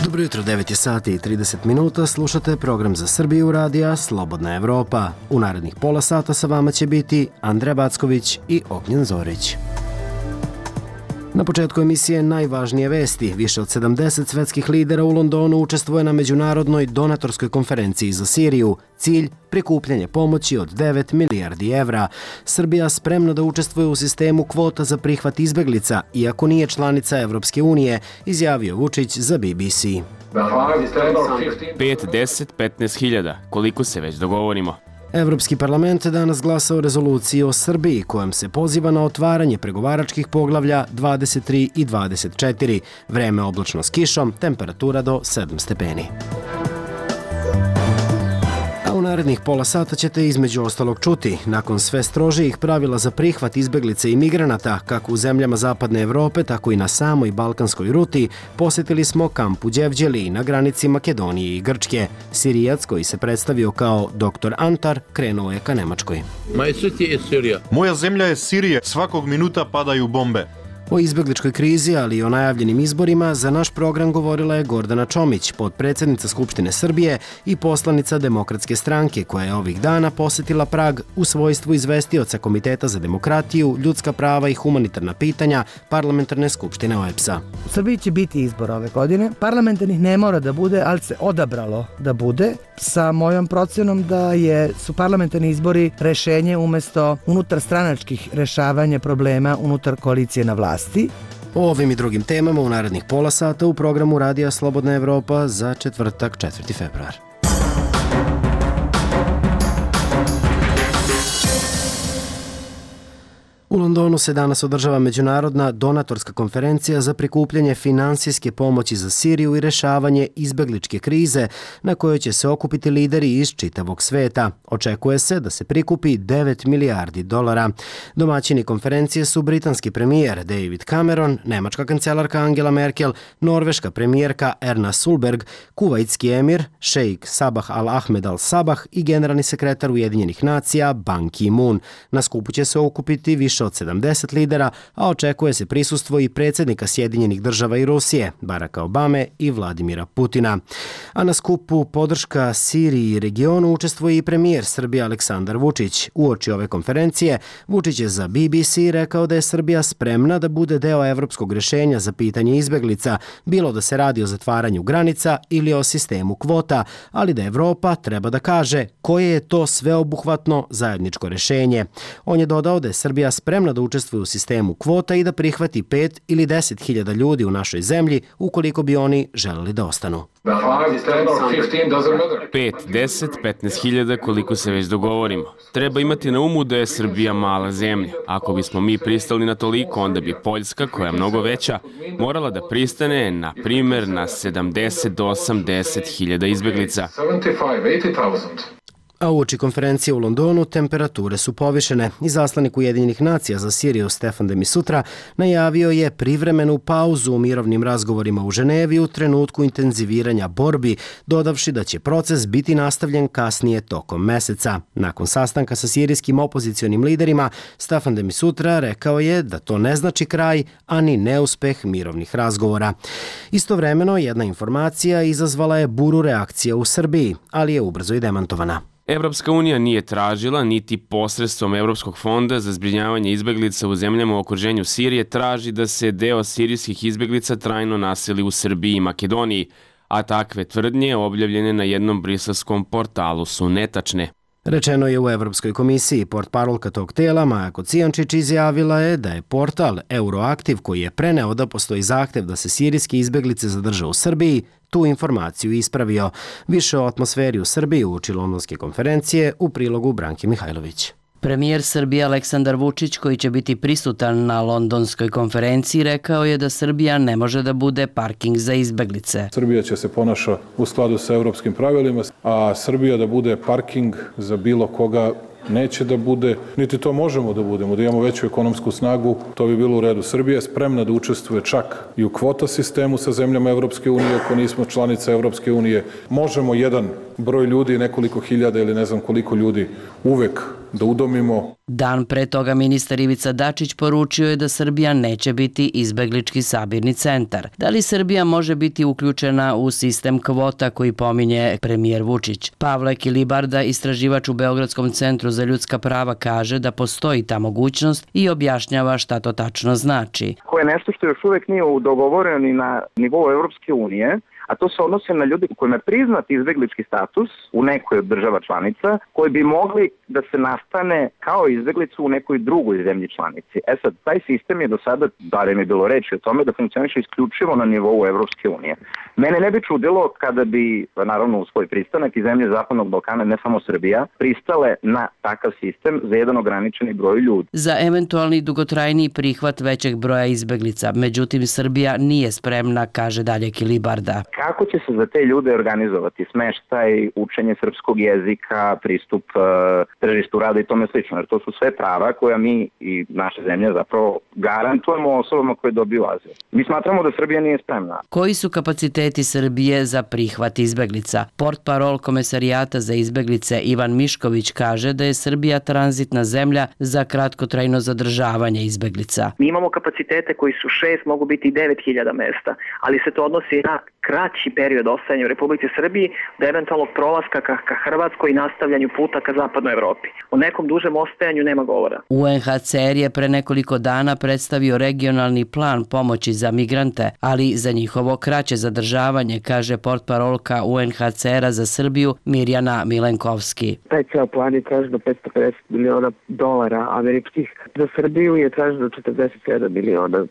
Dobro jutro, 9 je sati i 30 minuta, slušate program za Srbiju radija Slobodna Evropa. U narednih pola sata sa vama će biti Andreja Backović i Ognjen Zorić. Na početku emisije najvažnije vesti. Više od 70 svetskih lidera u Londonu učestvuje na međunarodnoj donatorskoj konferenciji za Siriju. Cilj – prikupljanje pomoći od 9 milijardi evra. Srbija spremna da učestvuje u sistemu kvota za prihvat izbeglica, iako nije članica Evropske unije, izjavio Vučić za BBC. 5, 10, 15 hiljada, koliko se već dogovorimo. Evropski parlament danas glasa o rezoluciji o Srbiji, kojom se poziva na otvaranje pregovaračkih poglavlja 23 i 24. Vreme oblačno s kišom, temperatura do 7 stepeni. A u narednih pola sata ćete između ostalog čuti, nakon sve strožijih pravila za prihvat izbeglica i migranata, kako u zemljama Zapadne Evrope, tako i na samoj balkanskoj ruti, posjetili smo kamp u Đevđeliji na granici Makedonije i Grčke. Sirijac, koji se predstavio kao dr. Antar, krenuo je ka Nemačkoj. Moja zemlja je Sirija, svakog minuta padaju bombe. O izbegličkoj krizi, ali i o najavljenim izborima, za naš program govorila je Gordana Čomić, potpredsjednica Skupštine Srbije i poslanica Demokratske stranke, koja je ovih dana posjetila Prag u svojstvu izvestioca Komiteta za demokratiju, ljudska prava i humanitarna pitanja Parlamentarne skupštine OEBS-a. U Srbiji će biti izbor ove godine. Parlamentarnih ne mora da bude, ali se odabralo da bude, sa mojom procjenom da su parlamentarni izbori rešenje umesto unutar stranačkih rešavanja problema unutar koalicije na vlasti. O ovim i drugim temama u narednih pola sata u programu Radija Slobodna Evropa za četvrtak 4. februar. U Londonu se danas održava međunarodna donatorska konferencija za prikupljanje finansijske pomoći za Siriju i rešavanje izbegličke krize, na kojoj će se okupiti lideri iz čitavog sveta. Očekuje se da se prikupi 9 milijardi dolara. Domaćini konferencije su britanski premijer David Cameron, nemačka kancelarka Angela Merkel, norveška premijerka Erna Solberg, kuvajtski emir šejk Sabah al-Ahmed al-Sabah i generalni sekretar Ujedinjenih nacija Ban Ki-moon. Na skupu će se okupiti više od 70 lidera, a očekuje se prisustvo i predsjednika Sjedinjenih država i Rusije, Baracka Obame i Vladimira Putina. A na skupu podrška Siriji i regionu učestvuje i premijer Srbije Aleksandar Vučić. Uoči ove konferencije, Vučić je za BBC rekao da je Srbija spremna da bude deo evropskog rješenja za pitanje izbeglica, bilo da se radi o zatvaranju granica ili o sistemu kvota, ali da Evropa treba da kaže koje je to sveobuhvatno zajedničko rješenje. On je dodao da je Srbija spremna da učestvuje u sistemu kvota i da prihvati 5 ili 10 hiljada ljudi u našoj zemlji ukoliko bi oni želeli da ostanu. 5, 10, 15 hiljada, koliko se već dogovorimo. Treba imati na umu da je Srbija mala zemlja. Ako bismo mi pristali na toliko, onda bi Poljska, koja je mnogo veća, morala da pristane, na primjer, na 70 do 80 hiljada izbeglica. A uoči konferencije u Londonu temperature su povišene. Izaslanik Ujedinjenih nacija za Siriju Stefan de Misutra najavio je privremenu pauzu u mirovnim razgovorima u Ženevi u trenutku intenziviranja borbi, dodavši da će proces biti nastavljen kasnije tokom meseca. Nakon sastanka sa sirijskim opozicionim liderima, Stefan de Misutra rekao je da to ne znači kraj, ani neuspeh mirovnih razgovora. Istovremeno, jedna informacija izazvala je buru reakcija u Srbiji, ali je ubrzo i demantovana. Evropska unija nije tražila, niti posredstvom Evropskog fonda za zbrinjavanje izbeglica u zemljama u okruženju Sirije traži da se deo sirijskih izbeglica trajno naseli u Srbiji i Makedoniji, a takve tvrdnje objavljene na jednom briselskom portalu su netačne. Rečeno je u Evropskoj komisiji. Portparolka tog tela, Maja Kocijančić, izjavila je da je portal Euroaktiv, koji je preneo da postoji zahtev da se sirijski izbeglice zadrže u Srbiji, tu informaciju ispravio. Više o atmosferi u Srbiji uoči londonske konferencije u prilogu Branke Mihajlović. Premijer Srbije Aleksandar Vučić, koji će biti prisutan na londonskoj konferenciji, rekao je da Srbija ne može da bude parking za izbeglice. Srbija će se ponaša u skladu sa evropskim pravilima, a Srbija da bude parking za bilo koga neće da bude, niti to možemo da budemo, da imamo veću ekonomsku snagu, to bi bilo u redu. Srbija je spremna da učestvuje čak i u kvota sistemu sa zemljama Evropske unije, ako nismo članica Evropske unije. Možemo jedan broj ljudi, nekoliko hiljada ili ne znam koliko ljudi uvek da udomimo. Dan pre toga ministar Ivica Dačić poručio je da Srbija neće biti izbeglički sabirni centar. Da li Srbija može biti uključena u sistem kvota koji pominje premijer Vučić? Pavle Kilibarda, istraživač u Beogradskom centru za ljudska prava, kaže da postoji ta mogućnost i objašnjava šta to tačno znači. Koje je nešto što još uvek nije dogovoreno ni na nivou Evropske unije, a to se odnosi na ljudi kojima je priznat izbeglički status u nekoj od država članica, koji bi mogli da se nastane kao izbeglicu u nekoj drugoj zemlji članici. Sad, taj sistem je do sada, barem je bilo reči o tome, da funkcioniše isključivo na nivou Evropske unije. Mene ne bi čudilo kada bi, naravno u svoj pristanak i zemlje Zapadnog Balkana, ne samo Srbija, pristale na takav sistem za jedan ograničeni broj ljudi. Za eventualni dugotrajniji prihvat većeg broja izbeglica, međutim Srbija nije spremna, kaže dalje Kilibarda. Kako će se za te ljude organizovati smeštaj, učenje srpskog jezika, pristup tržištu rada i tome slično, jer to su sve prava koja mi i naša zemlja zapravo garantujemo osobama koje dobiju azil. Mi smatramo da Srbija nije spremna. Koji su kapaciteti Srbije za prihvat izbeglica? Portparol Komesarijata za izbeglice Ivan Mišković kaže da je Srbija tranzitna zemlja za kratkotrajno zadržavanje izbeglica. Mi imamo kapacitete koji su 6, mogu biti i 9.000 mesta, ali se to odnosi na kraći period ostajanja u Republici Srbiji do eventualnog prolaska ka Hrvatskoj i nastavljanju puta ka zapadnoj Evropi. O nekom dužem ostajanju nema govora. UNHCR je pre nekoliko dana predstavio regionalni plan pomoći za migrante, ali za njihovo kraće zadržavanje, kaže portparolka UNHCR-a za Srbiju Mirjana Milenkovski. Taj ceo plan je traženo $550 miliona američkih. Za Srbiju je traženo $47 miliona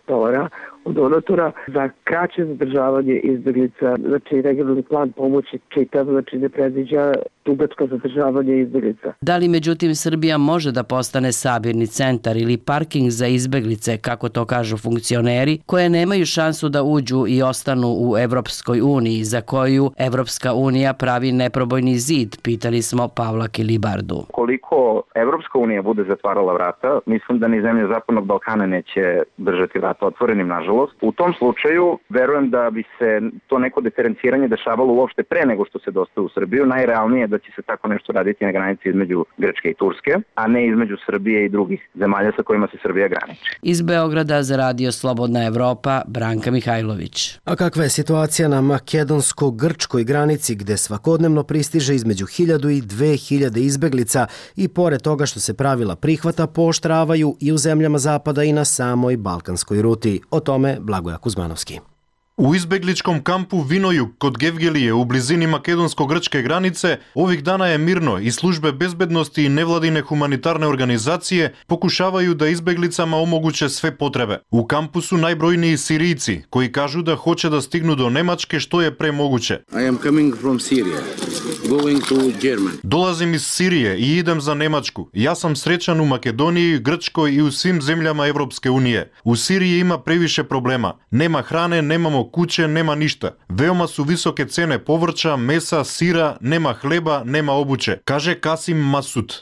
od donatora za kraće zadržavanje izbeglica. Znači, regionalni plan pomoći čitav, znači ne predviđa dugačko zadržavanje izbeglica. Da li međutim Srbija može da postane sabirni centar ili parking za izbeglice, kako to kažu funkcioneri, koje nemaju šansu da uđu i ostanu u Evropskoj uniji, za koju Evropska unija pravi neprobojni zid, pitali smo Pavla Kilibardu. Koliko Evropska unija bude zatvarala vrata, mislim da ni zemlje Zapadnog Balkana neće držati vrata otvorenim, nažalost. U tom slučaju, verujem da bi se to neko diferenciranje dešavalo uopšte pre nego što se dostaje u Srbiju. Najrealnije je da će se tako nešto raditi na granici između Grčke i Turske, a ne između Srbije i drugih zemalja sa kojima se Srbija graniči. Iz Beograda za Radio Slobodna Evropa, Branka Mihajlović. A kakva je situacija na makedonsko-grčkoj granici gde svakodnevno pristiže između 1000 i 2000 izbeglica i pored toga što se pravila prihvata pooštravaju i u zemljama zapada i na samoj balkanskoj ruti? O tome Blagoja Kuzmanovski. U izbegličkom kampu Vinojug kod Gevgelije u blizini makedonsko-grčke granice ovih dana je mirno i službe bezbednosti i nevladine humanitarne organizacije pokušavaju da izbeglicama omoguće sve potrebe. U kampu su najbrojniji Sirijci koji kažu da hoće da stignu do Nemačke što je pre moguće. I am coming from Syria, going to Germany. Dolazim iz Sirije i idem za Nemačku. Ja sam srećan u Makedoniji, Grčkoj i u svim zemljama Evropske unije. U Siriji ima previše problema. Nema hrane, nemamo kuće, nema ništa. Veoma su visoke cene povrća, mesa, sira, nema hleba, nema obuće, kaže Kasim Masud.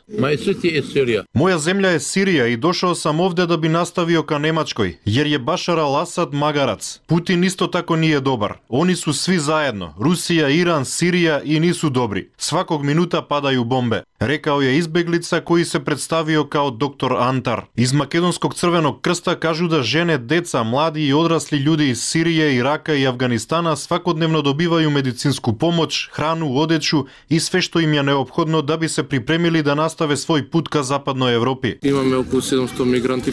Moja zemlja je Sirija i došao sam ovde da bi nastavio ka Nemačkoj, jer je Bašar al-Asad magarac. Putin isto tako nije dobar. Oni su svi zajedno, Rusija, Iran, Sirija i nisu dobri. Svakog minuta padaju bombe, rekao je izbeglica koji se predstavio kao doktor Antar. Iz Makedonskog crvenog krsta kažu da žene, deca, mladi i odrasli ljudi iz Sirije, Iraka i Afganistana svakodnevno dobivaju medicinsku pomoć, hranu, odeću i sve što im je neophodno da bi se pripremili da nastave svoj put ka zapadnoj Evropi.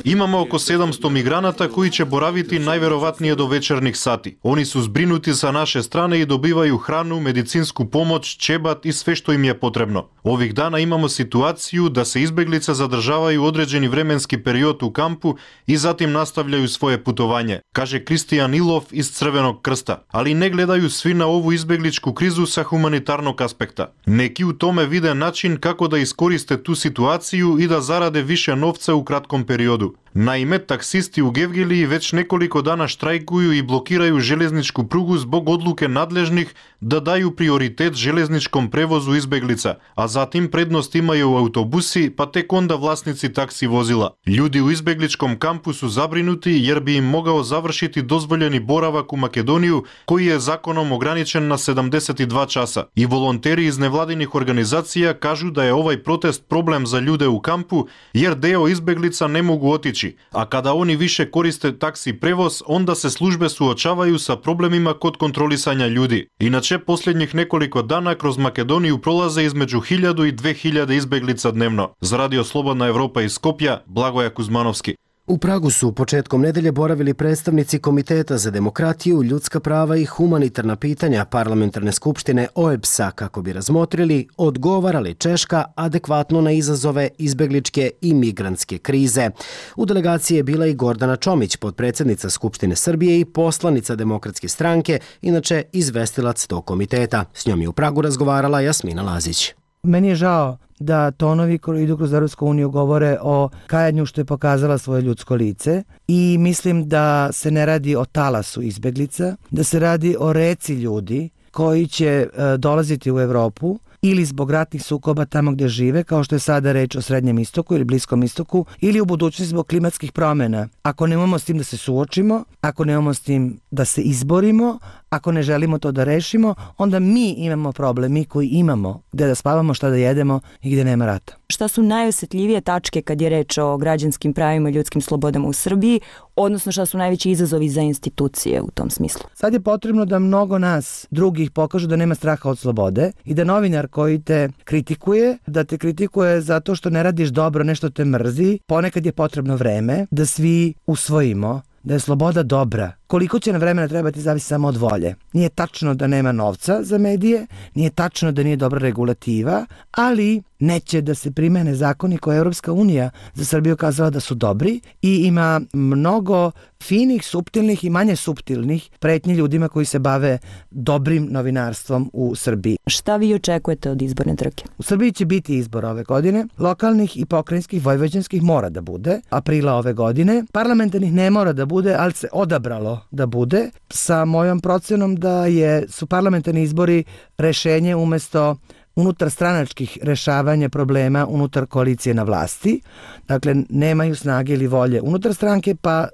Imamo oko 700 migranata koji će boraviti najverovatnije do večernjih sati. Oni su zbrinuti sa naše strane i dobivaju hranu, medicinsku pomoć, ćebat i sve što im je potrebno. Ovih dana imamo situaciju da se izbeglice zadržavaju određeni vremenski period u kampu i zatim nastavljaju svoje putovanje, kaže Kristijan Ilov iz Crvenog krsta. Ali ne gledaju svi na ovu izbegličku krizu sa humanitarnog aspekta. Neki u tome vide način kako da iskoriste tu situaciju i da zarade više novca u kratkom periodu. Naime, taksisти u Gevgeliji već nekoliko dana štrajkuju i blokiraju železničku prugu zbog odluke nadležnih da daju prioritet železničkom prevozu izbeglica, a zatim prednost imaju autobusi, pa tek onda vlasnici taksi vozila. Ljudi u izbegličkom kampu su zabrinuti jer bi im mogao završiti dozvoljeni boravak u Makedoniju, koji je zakonom ograničen na 72 časa. I volonteri iz nevladinih organizacija kažu da je ovaj protest problem za ljude u kampu, jer deo izbeglica ne mogu otići, a kada oni više koriste taksi prevoz, onda se službe suočavaju sa problemima kod kontrolisanja ljudi. Inače, posljednjih nekoliko dana kroz Makedoniju prolaze između 1000 i 2000 izbeglica dnevno. Za Radio Slobodna Evropa iz Skopja, Blagoja Kuzmanovski. U Pragu su početkom nedelje boravili predstavnici Komiteta za demokratiju, ljudska prava i humanitarna pitanja Parlamentarne skupštine OEBS-a kako bi razmotrili odgovara li Češka adekvatno na izazove izbegličke i migrantske krize. U delegaciji je bila i Gordana Čomić, potpredsjednica Skupštine Srbije i poslanica Demokratske stranke, inače izvestilac tog komiteta. S njom je u Pragu razgovarala Jasmina Lazić. Meni je žao da tonovi koji idu kroz Europsku uniju govore o kajanju što je pokazala svoje ljudsko lice i mislim da se ne radi o talasu izbeglica, da se radi o reci ljudi koji će dolaziti u Evropu ili zbog ratnih sukoba tamo gdje žive, kao što je sada reč o Srednjem istoku ili Bliskom istoku, ili u budućnosti zbog klimatskih promjena. Ako nemamo s tim da se suočimo, ako nemamo s tim da se izborimo, ako ne želimo to da rešimo, onda mi imamo problem, mi koji imamo gdje da spavamo, šta da jedemo i gdje nema rata. Šta su najosjetljivije tačke kad je reč o građanskim pravima i ljudskim slobodama u Srbiji, odnosno šta su najveći izazovi za institucije u tom smislu? Sad je potrebno da mnogo nas drugih pokažu da nema straha od slobode i da novinar koji te kritikuje, da te kritikuje zato što ne radiš dobro, nešto te mrzi, ponekad je potrebno vreme da svi usvojimo da je sloboda dobra. Koliko će na vremena trebati zavisi samo od volje. Nije tačno da nema novca za medije, nije tačno da nije dobra regulativa, ali neće da se primene zakoni koje je Europska unija za Srbiju kazala da su dobri i ima mnogo finih, suptilnih i manje suptilnih pretnji ljudima koji se bave dobrim novinarstvom u Srbiji. Šta vi očekujete od izborne trke? U Srbiji će biti izbor ove godine, lokalnih i pokrajinskih, vojvođanskih mora da bude, aprila ove godine. Parlamentarnih ne mora da bude, ali se odabralo da bude, sa mojom procenom da su parlamentarni izbori rešenje umesto unutar stranačkih rešavanja problema unutar koalicije na vlasti. Dakle, nemaju snage ili volje unutar stranke, pa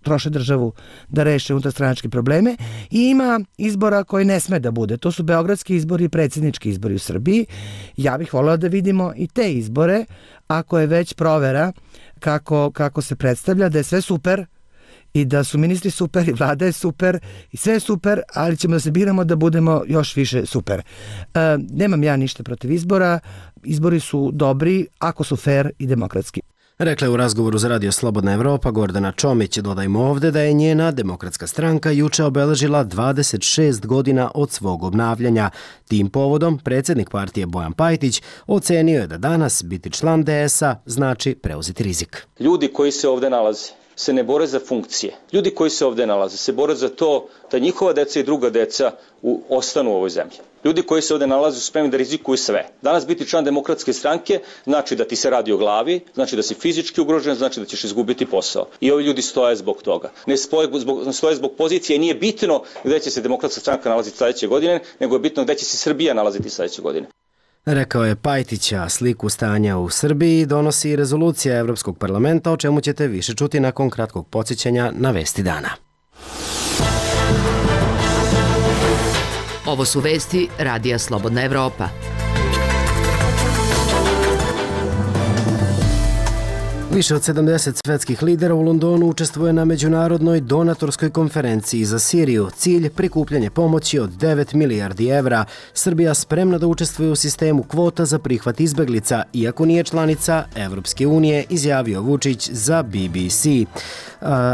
troše državu da reše unutarstranačke probleme i ima izbora koji ne sme da bude. To su beogradski izbori i predsjednički izbori u Srbiji. Ja bih voljela da vidimo i te izbore, ako je već provera kako se predstavlja, da je sve super i da su ministri super i vlada je super i sve je super, ali ćemo da se biramo da budemo još više super. Nemam ja ništa protiv izbora. Izbori su dobri ako su fair i demokratski. Rekla je u razgovoru za Radio Slobodna Evropa Gordana Čomić. Dodajmo ovde da je njena Demokratska stranka juče obeležila 26 godina od svog obnavljanja. Tim povodom predsjednik partije Bojan Pajtić ocenio je da danas biti član DS-a znači preuzeti rizik. Ljudi koji se ovde nalaze se ne bore za funkcije. Ljudi koji se ovde nalaze se bore za to da njihova deca i druga deca ostanu u ovoj zemlji. Ljudi koji se ovde nalaze su spremni da rizikuju sve. Danas biti član Demokratske stranke znači da ti se radi o glavi, znači da si fizički ugrožen, znači da ćeš izgubiti posao. I ovi ljudi stoje zbog toga. Ne stoje zbog pozicije i nije bitno gde će se Demokratska stranka nalaziti sledeće godine, nego je bitno gde će se Srbija nalaziti sledeće godine. Rekao je Pajtića. Sliku stanja u Srbiji donosi i rezolucija Evropskog parlamenta, o čemu ćete više čuti nakon kratkog podsjećanja na vesti dana. Ovo su vesti Radija Slobodna Evropa. Više od 70 svetskih lidera u Londonu učestvuje na međunarodnoj donatorskoj konferenciji za Siriju. Cilj prikupljanje pomoći od 9 milijardi evra. Srbija spremna da učestvuje u sistemu kvota za prihvat izbeglica, iako nije članica Evropske unije, izjavio Vučić za BBC.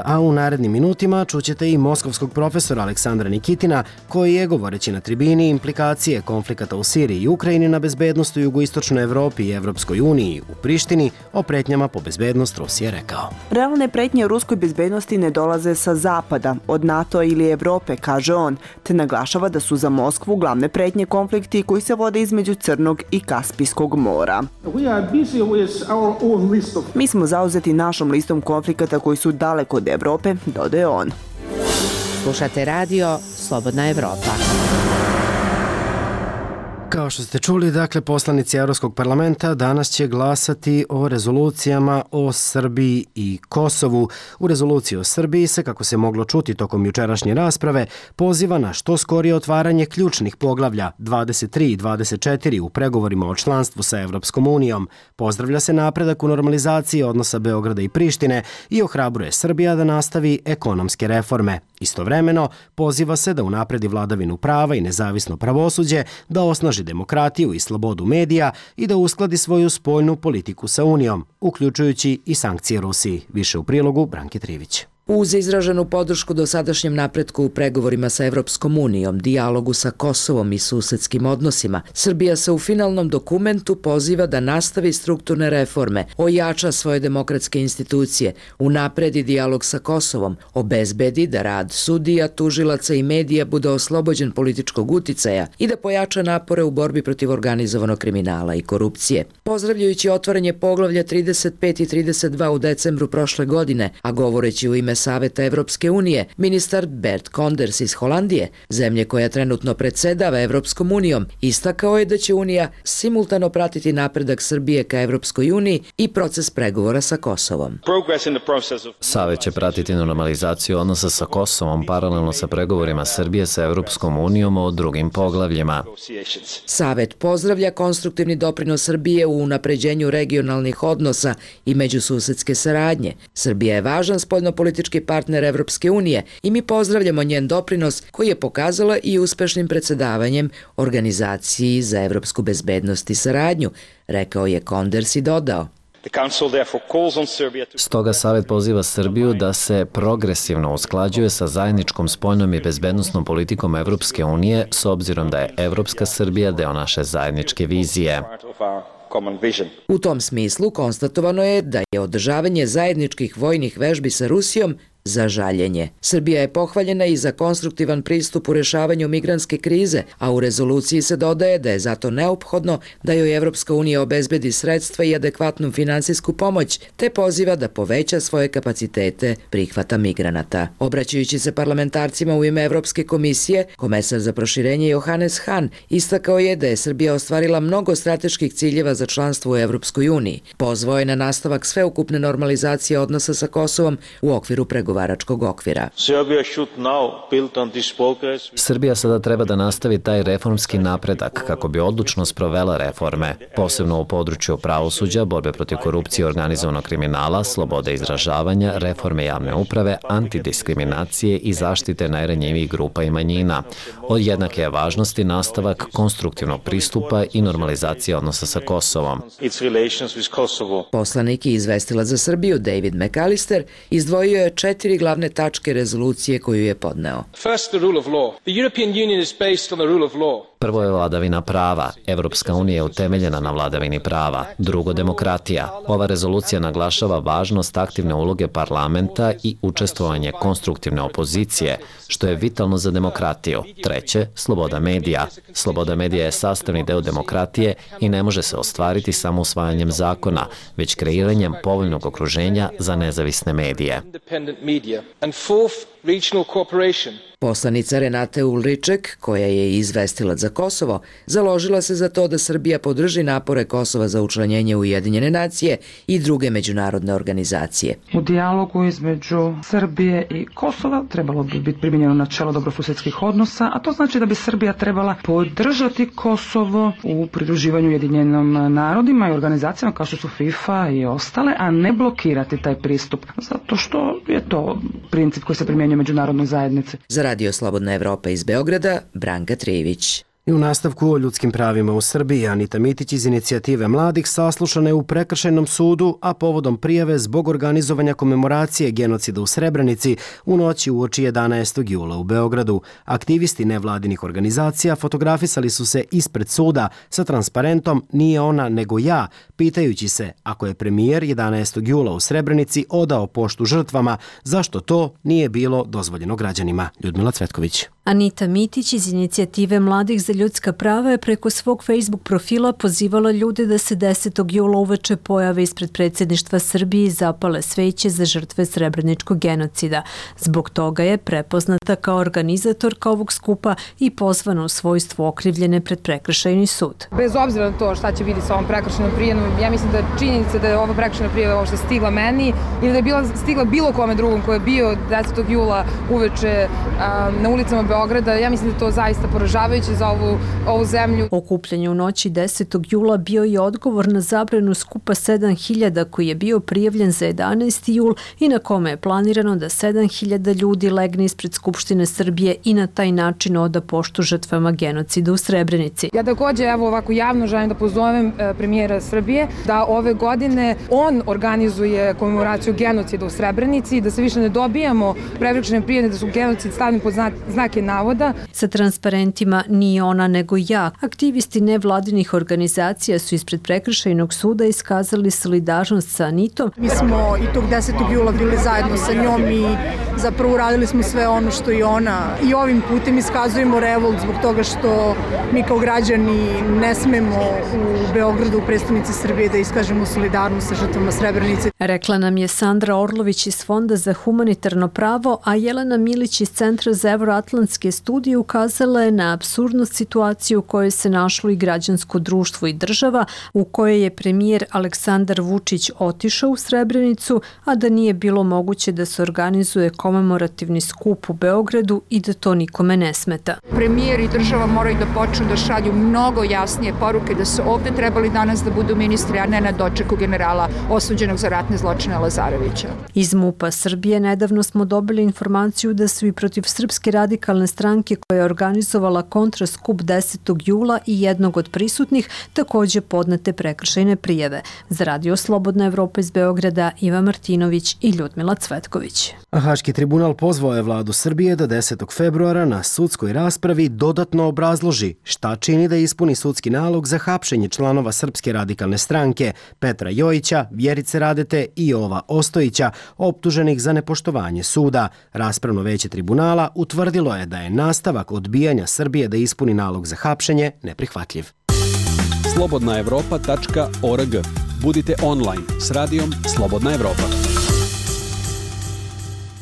A u narednim minutima čućete i moskovskog profesora Aleksandra Nikitina, koji je, govoreći na tribini implikacije konflikata u Siriji i Ukrajini na bezbednost u jugoistočnoj Evropi i Evropskoj uniji, u Prištini, o pretnjama po bezbednosti bezbednost Rusije rekao. Realne pretnje ruskoj bezbednosti ne dolaze sa zapada, od NATO ili Evrope, kaže on, te naglašava da su za Moskvu glavne pretnje konflikti koji se vode između Crnog i Kaspijskog mora. Mi smo zauzeti našom listom konflikata koji su daleko od Evrope, dodaje on. Slušate radio Slobodna Evropa. Kao što ste čuli, dakle, poslanici Evropskog parlamenta danas će glasati o rezolucijama o Srbiji i Kosovu. U rezoluciji o Srbiji se, kako se moglo čuti tokom jučerašnje rasprave, poziva na što skorije otvaranje ključnih poglavlja 23 i 24 u pregovorima o članstvu sa Evropskom unijom. Pozdravlja se napredak u normalizaciji odnosa Beograda i Prištine i ohrabruje Srbija da nastavi ekonomske reforme. Istovremeno, poziva se da unapredi vladavinu prava i nezavisno pravosuđe, da osnaži demokratiju i slobodu medija i da uskladi svoju spoljnu politiku sa Unijom, uključujući i sankcije Rusiji. Više u prilogu Branke Trivić. Uz izraženu podršku dosadašnjem napretku u pregovorima sa Evropskom unijom, dijalogu sa Kosovom i susedskim odnosima, Srbija se u finalnom dokumentu poziva da nastavi strukturne reforme, ojača svoje demokratske institucije, unapredi dijalog sa Kosovom, obezbedi da rad sudija, tužilaca i medija bude oslobođen političkog uticaja i da pojača napore u borbi protiv organizovanog kriminala i korupcije. Pozdravljajući otvaranje poglavlja 35 i 32 u decembru prošle godine, a govoreći u ime Saveta Evropske unije, ministar Bert Koenders iz Holandije, zemlje koja trenutno predsedava Evropskom unijom, istakao je da će Unija simultano pratiti napredak Srbije ka Evropskoj uniji i proces pregovora sa Kosovom. Savet će pratiti normalizaciju odnosa sa Kosovom paralelno sa pregovorima Srbije sa Evropskom unijom o drugim poglavljima. Savet pozdravlja konstruktivni doprinos Srbije u unapređenju regionalnih odnosa i međususedske saradnje. Srbija je važan spoljnopolitički partner Evropske unije i mi pozdravljamo njen doprinos koji je pokazala i uspešnim predsedavanjem Organizaciji za evropsku bezbednost i saradnju, rekao je Koenders i dodao. Stoga Savet poziva Srbiju da se progresivno usklađuje sa zajedničkom spoljnom i bezbednosnom politikom Evropske unije s obzirom da je Evropska Srbija deo naše zajedničke vizije. U tom smislu konstatovano je da je održavanje zajedničkih vojnih vežbi sa Rusijom za žaljenje. Srbija je pohvaljena i za konstruktivan pristup u rešavanju migrantske krize, a u rezoluciji se dodaje da je zato neophodno da joj Evropska unija obezbedi sredstva i adekvatnu finansijsku pomoć, te poziva da poveća svoje kapacitete prihvata migranata. Obraćajući se parlamentarcima u ime Evropske komisije, komesar za proširenje Johannes Hahn istakao je da je Srbija ostvarila mnogo strateških ciljeva za članstvo u Evropskoj uniji. Pozvao je na nastavak sveukupne normalizacije odnosa sa Kosovom u okviru pregovaračkog okvira. Srbija sada treba da nastavi taj reformski napredak kako bi odlučno sprovela reforme, posebno u području pravosuđa, borbe protiv korupcije i organizovanog kriminala, slobode izražavanja, reforme javne uprave, antidiskriminacije i zaštite najranjivijih grupa i manjina. Od jednake je važnosti nastavak konstruktivnog pristupa i normalizacije odnosa sa Kosovom. Poslanik i izvestilac za Srbiju David McAllister izdvojio je 4 glavne tačke rezolucije koju je podneo. Prvo je vladavina prava. Evropska unija je utemeljena na vladavini prava. Drugo, demokratija. Ova rezolucija naglašava važnost aktivne uloge parlamenta i učestvovanje konstruktivne opozicije, što je vitalno za demokratiju. Treće, sloboda medija. Sloboda medija je sastavni deo demokratije i ne može se ostvariti samo usvajanjem zakona, već kreiranjem povoljnog okruženja za nezavisne medije. Poslanica Renate Ulriček, koja je izvestilac za Kosovo, založila se za to da Srbija podrži napore Kosova za učlanjenje u Ujedinjene nacije i druge međunarodne organizacije. U dijalogu između Srbije i Kosova trebalo bi biti primijenjeno načelo dobrosusedskih odnosa, a to znači da bi Srbija trebala podržati Kosovo u pridruživanju Ujedinjenim narodima i organizacijama kao što su FIFA i ostale, a ne blokirati taj pristup, zato što je to princip koji se primjenjuje u međunarodnoj zajednici. Za Radio Slobodna Evropa iz Beograda, Branka Trivić. I u nastavku o ljudskim pravima u Srbiji, Anita Mitić iz Inicijative mladih saslušana je u Prekršajnom sudu, a povodom prijave zbog organizovanja komemoracije genocida u Srebrenici u noći uoči 11. jula u Beogradu. Aktivisti nevladinih organizacija fotografisali su se ispred suda sa transparentom "Nije ona nego ja", pitajući se ako je premijer 11. jula u Srebrenici odao poštu žrtvama, zašto to nije bilo dozvoljeno građanima. Ljudmila Cvetković. Anita Mitić iz Inicijative mladih za ljudska prava je preko svog Facebook profila pozivala ljude da se 10. jula uveče pojave ispred predsjedništva Srbije i zapale sveće za žrtve srebreničkog genocida. Zbog toga je prepoznata kao organizatorka ovog skupa i pozvana u svojstvu okrivljene pred Prekršajni sud. Bez obzira na to šta će biti sa ovom prekršajnom prijavom, ja mislim da činjenica da je ova prekršajna prijava uopšte stigla meni ili da je bila stigla bilo kome drugom ko je bio 10. jula uveče na ulicama Beograda, ja mislim da je to zaista poražavajuće za ovu zemlju. Okupljanje u noći 10. jula bio je odgovor na zabranu skupa 7000 koji je bio prijavljen za 11. jul i na kome je planirano da 7000 ljudi legne ispred Skupštine Srbije i na taj način oda poštu žrtvama genocida u Srebrenici. Ja takođe ovako javno želim da pozovem premijera Srbije da ove godine on organizuje komemoraciju genocida u Srebrenici i da se više ne dobijamo prekršajne prijave da su genocid stavljeni pod znake navoda. Sa transparentima "Nije ona nego ja", aktivisti nevladinih organizacija su ispred Prekršajnog suda iskazali solidarnost sa Anitom. Mi smo i tog 10. jula bili zajedno sa njom i zapravo uradili smo sve ono što i ona. I ovim putem iskazujemo revolt zbog toga što mi kao građani ne smemo u Beogradu, u prestonici Srbije, da iskažemo solidarnost sa žrtvama Srebrenice. Rekla nam je Sandra Orlović iz Fonda za humanitarno pravo, a Jelena Milić iz Centra za evroatlantske studije ukazala je na apsurdnost situacije u kojoj se našlo i građansko društvo i država, u kojoj je premijer Aleksandar Vučić otišao u Srebrenicu, a da nije bilo moguće da se organizuje komemorativni skup u Beogradu i da to nikome ne smeta. Premijer i država moraju da počnu da šalju mnogo jasnije poruke da su ovde trebali danas da budu ministri, a ne na dočeku generala osuđenog za ratne zločine Lazarevića. Iz MUP-a Srbije nedavno smo dobili informaciju da su i protiv Srpske radikalne stranke koja je organizovala kontraskup 10. jula i jednog od prisutnih takođe podnete prekršajne prijave. Za Radio Slobodna Evropa iz Beograda, Iva Martinović i Ljudmila Cvetković. Haški tribunal pozvao je vladu Srbije da 10. februara na sudskoj raspravi dodatno obrazloži šta čini da ispuni sudski nalog za hapšenje članova Srpske radikalne stranke Petra Jojića, Vjerice Radete i Jova Ostojića, optuženih za nepoštovanje suda. Raspravno veće tribunala utvrdilo je da je nastavak odbijanja Srbije da ispuni nalog za hapšenje neprihvatljiv. slobodnaevropa.org. Budite online s radijom Slobodna Evropa.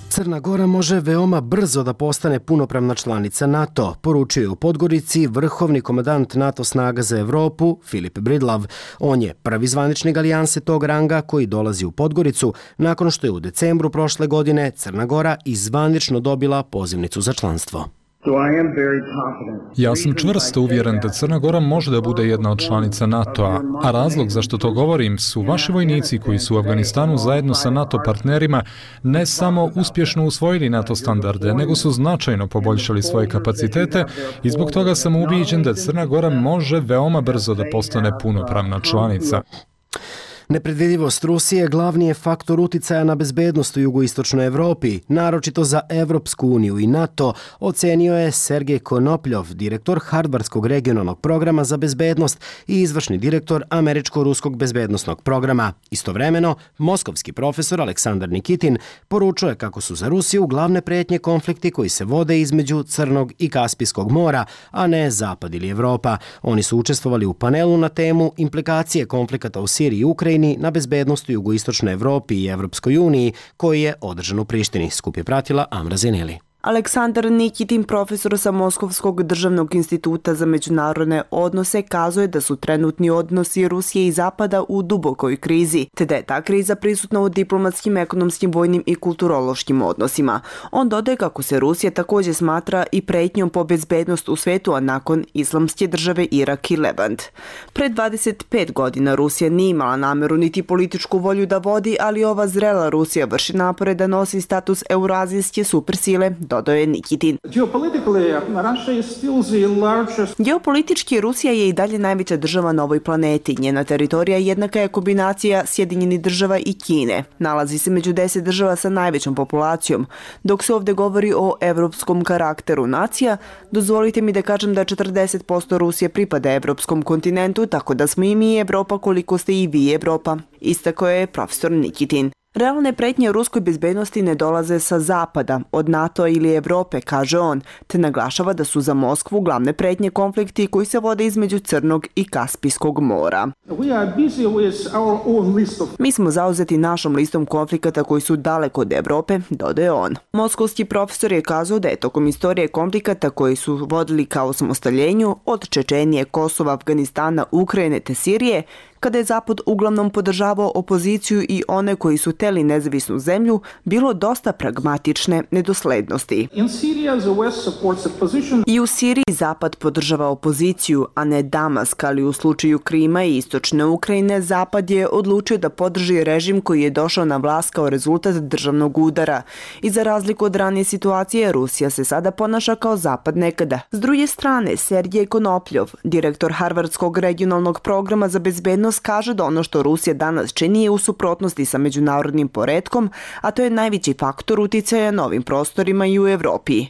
Crna Gora može veoma brzo da postane punopravna članica NATO, poručio je u Podgorici vrhovni komandant NATO snaga za Evropu Filip Bridlav. On je prvi zvaničnik alijanse tog ranga koji dolazi u Podgoricu nakon što je u decembru prošle godine Crna Gora i zvanično dobila pozivnicu za članstvo. Ja sam čvrsto uvjeren da Crna Gora može da bude jedna od članica NATO-a, a razlog zašto to govorim su vaši vojnici koji su u Afganistanu zajedno sa NATO partnerima ne samo uspješno usvojili NATO standarde, nego su značajno poboljšali svoje kapacitete i zbog toga sam ubijeđen da Crna Gora može veoma brzo da postane punopravna članica. Nepredvidivost Rusije glavni je faktor uticaja na bezbednost u jugoistočnoj Evropi, naročito za Evropsku uniju i NATO, ocenio je Sergej Konopljov, direktor Harvardskog regionalnog programa za bezbednost i izvršni direktor Američko-ruskog bezbednostnog programa. Istovremeno, moskovski profesor Aleksandar Nikitin poručuje kako su za Rusiju glavne pretnje konflikti koji se vode između Crnog i Kaspijskog mora, a ne Zapad ili Evropa. Oni su učestvovali u panelu na temu implikacije konflikata u Siriji i Ukrajini na bezbednost u jugoistočnoj Evropi i Evropskoj uniji, koji je održan u Prištini. Skup je pratila Amra Zeneli. Aleksandar Nikitin, profesor sa Moskovskog državnog instituta za međunarodne odnose, kazuje da su trenutni odnosi Rusije i Zapada u dubokoj krizi, te da je ta kriza prisutna u diplomatskim, ekonomskim, vojnim i kulturološkim odnosima. On dodaje kako se Rusija također smatra i pretnjom po bezbednost u svetu, a nakon Islamske države Irak i Levant. Pred 25 godina Rusija nije imala nameru niti političku volju da vodi, ali ova zrela Rusija vrši napore da nosi status eurazijske supersile dodao je Nikitin. Geopolitički Rusija je i dalje najveća država na ovoj planeti. Njena teritorija jednaka je kombinacija Sjedinjenih država i Kine. Nalazi se među 10 država sa najvećom populacijom. Dok se ovdje govori o evropskom karakteru nacija, dozvolite mi da kažem da 40% Rusije pripada evropskom kontinentu, tako da smo i mi Evropa koliko ste i vi Evropa, istakao je profesor Nikitin. Realne pretnje ruskoj bezbednosti ne dolaze sa zapada, od NATO ili Evrope, kaže on, te naglašava da su za Moskvu glavne pretnje konflikti koji se vode između Crnog i Kaspijskog mora. Mi smo zauzeti našom listom konflikata koji su daleko od Evrope, dodaje on. Moskovski profesor je kazao da je tokom istorije konflikata koji su vodili ka osamostaljenju od Čečenije, Kosova, Afganistana, Ukrajine te Sirije, kada je Zapad uglavnom podržavao opoziciju i one koji su teli nezavisnu zemlju, bilo dosta pragmatične nedoslednosti. I u Siriji Zapad podržava opoziciju, a ne Damask, ali u slučaju Krima i istočne Ukrajine Zapad je odlučio da podrži režim koji je došao na vlast kao rezultat državnog udara. I za razliku od ranije situacije, Rusija se sada ponaša kao Zapad nekada. S druge strane, Sergej Konopljov, direktor Harvardskog regionalnog programa za bezbednost, kaže da ono što Rusija danas čini je u suprotnosti sa međunarodnim poretkom, a to je najveći faktor uticaja na ovim prostorima i u Evropi.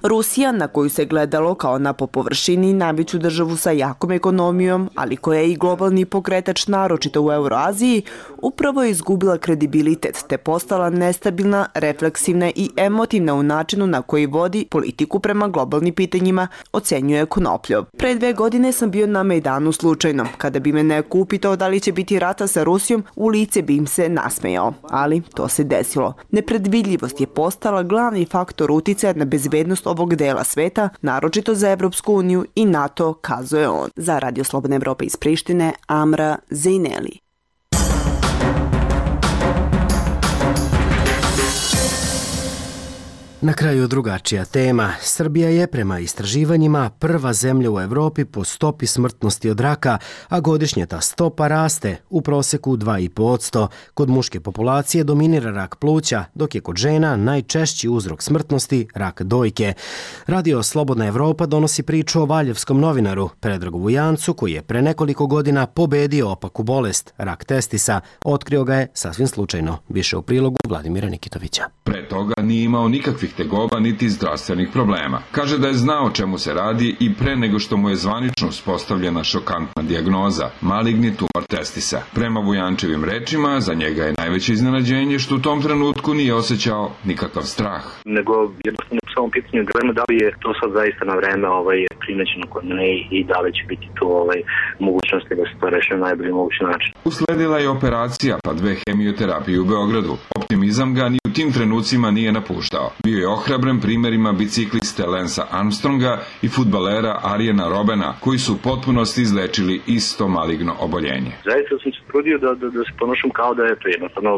Rusija, na koju se gledalo kao na po površini najveću državu sa jakom ekonomijom, ali koja je i globalni pokretač naročito u Euroaziji, upravo je izgubila kredibilitet te postala nestabilna, refleksivna i emotivna u načinu na koji vodi politiku prema globalnim pitanjima, ocenjuje Konopljov. Pre 2 godine sam bio na Mejdanu slučajno. Kada bi me neko upitao da li će biti rata sa Rusijom, u lice bi im se nasmejao. Ali to se desilo. Nepredvidljivost je postala glavni faktor uticaja na bezbednost ovog dela sveta, naročito za Evropsku uniju i NATO, kazuje on. Za Radio Slobodna Evropa iz Prištine, Amra Zejneli. Na kraju drugačija tema. Srbija je prema istraživanjima prva zemlja u Evropi po stopi smrtnosti od raka, a godišnje ta stopa raste, u proseku 2,5%. Kod muške populacije dominira rak pluća, dok je kod žena najčešći uzrok smrtnosti rak dojke. Radio Slobodna Evropa donosi priču o valjevskom novinaru Predragu Vujancu, koji je pre nekoliko godina pobedio opaku bolest, rak testisa. Otkrio ga je sasvim slučajno. Više u prilogu Vladimira Nikitovića. Pre toga nije imao nikakvih tegoba niti zdravstvenih problema. Kaže da je znao o čemu se radi i pre nego što mu je zvanično uspostavljena šokantna dijagnoza, maligni tumor testisa. Prema Vujančevim rečima, za njega je najveće iznenađenje što u tom trenutku nije osjećao nikakav strah. Nego jednostavno u samom pitanju dilema da li je to sad zaista na vreme primećeno kod mene i da li će biti tu mogućnosti da se to reši na najbolji mogući način. Usledila je operacija pa 2 hemioterapije u Beogradu. Optimizam ga ni u tim trenucima nije napuštao. Bio je ohrabren primjerima bicikliste Lensa Armstronga i fudbalera Arijena Robena, koji su u potpunosti izlečili isto maligno oboljenje. Zaista sam se trudio da se ponošam kao da je to jednostavno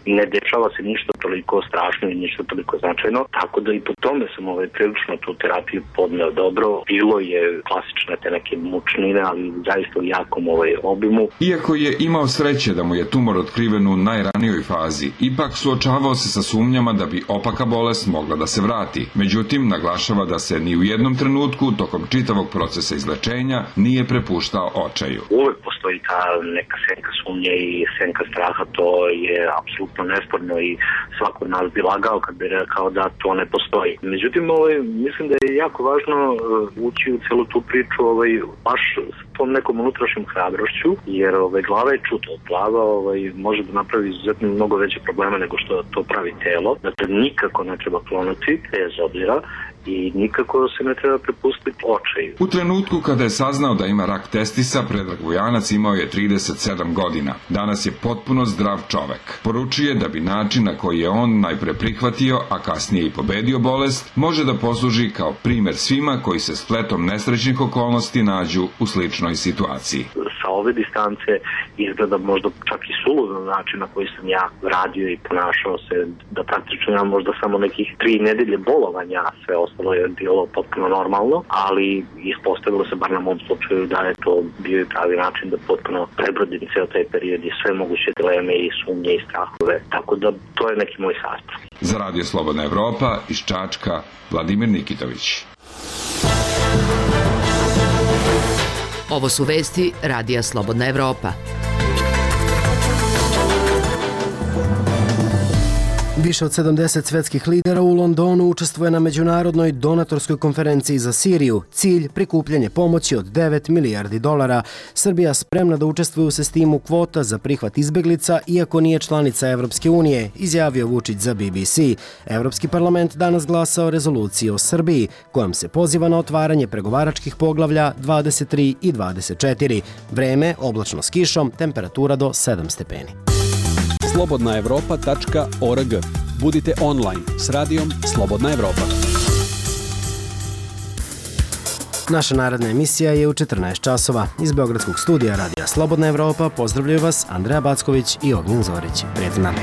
ne dešava se ništa toliko strašno i ništa toliko značajno, tako da i po tome sam prilično tu terapiju podneo dobro. Bilo je klasične te neke mučnine, ali zaista u jakom obimu. Iako je imao sreće da mu je tumor otkriven u najranijoj fazi, ipak suočavao se sa sumnjama da bi opaka bolest mogla da se vrati. Međutim, naglašava da se ni u jednom trenutku tokom čitavog procesa izlečenja nije prepuštao očaju. Uvek postoji ta neka senka sumnje i senka straha, to je apsolutno nesporno i svako od nas bi lagao kad bi rekao da to ne postoji. Međutim, mislim da je jako važno ući u celu tu priču baš s tom nekom unutrašnjom hrabrošću, jer glava je čuta. Glava može da napravi izuzetno mnogo veće probleme nego što to pravi telo. Dakle, nikako ne treba klonuti, bez obzira, i nikako se ne treba prepustiti očaju. U trenutku kada je saznao da ima rak testisa, Predrag Vujanac imao je 37 godina. Danas je potpuno zdrav čovek. Poručuje da bi način na koji je on najpre prihvatio, a kasnije i pobedio bolest, može da posluži kao primer svima koji se spletom nesrećnih okolnosti nađu u sličnoj situaciji. Sa ove distance izgleda možda čak i suludan način na koji sam ja radio i ponašao se, da praktično imam možda samo nekih 3 nedelje bolovanja, sve ostalo je bilo potpuno normalno, ali ispostavilo se, bar na mom slučaju, da je to bio i pravi način da potpuno prebrodim ceo taj period i sve moguće dileme i sumnje i strahove, tako da to je neki moj sastav. Za Radio Slobodna Evropa iz Čačka, Vladimir Nikitović. Ovo su vesti Radija Slobodna Evropa. Više od 70 svetskih lidera u Londonu učestvuje na međunarodnoj donatorskoj konferenciji za Siriju. Cilj prikupljanje pomoći od 9 milijardi dolara. Srbija spremna da učestvuje u sistemu kvota za prihvat izbeglica, iako nije članica Evropske unije, izjavio Vučić za BBC. Evropski parlament danas glasa o rezoluciji o Srbiji, kojom se poziva na otvaranje pregovaračkih poglavlja 23 i 24. Vreme oblačno s kišom, temperatura do 7 stepeni. slobodnaevropa.org. Budite online s radijom Slobodna Evropa. Naša naredna emisija je u 14 časova. Iz Beogradskog studija Radija Slobodna Evropa pozdravljaju vas Andreja Backović i Ognjen Zorić. Prijatno nam.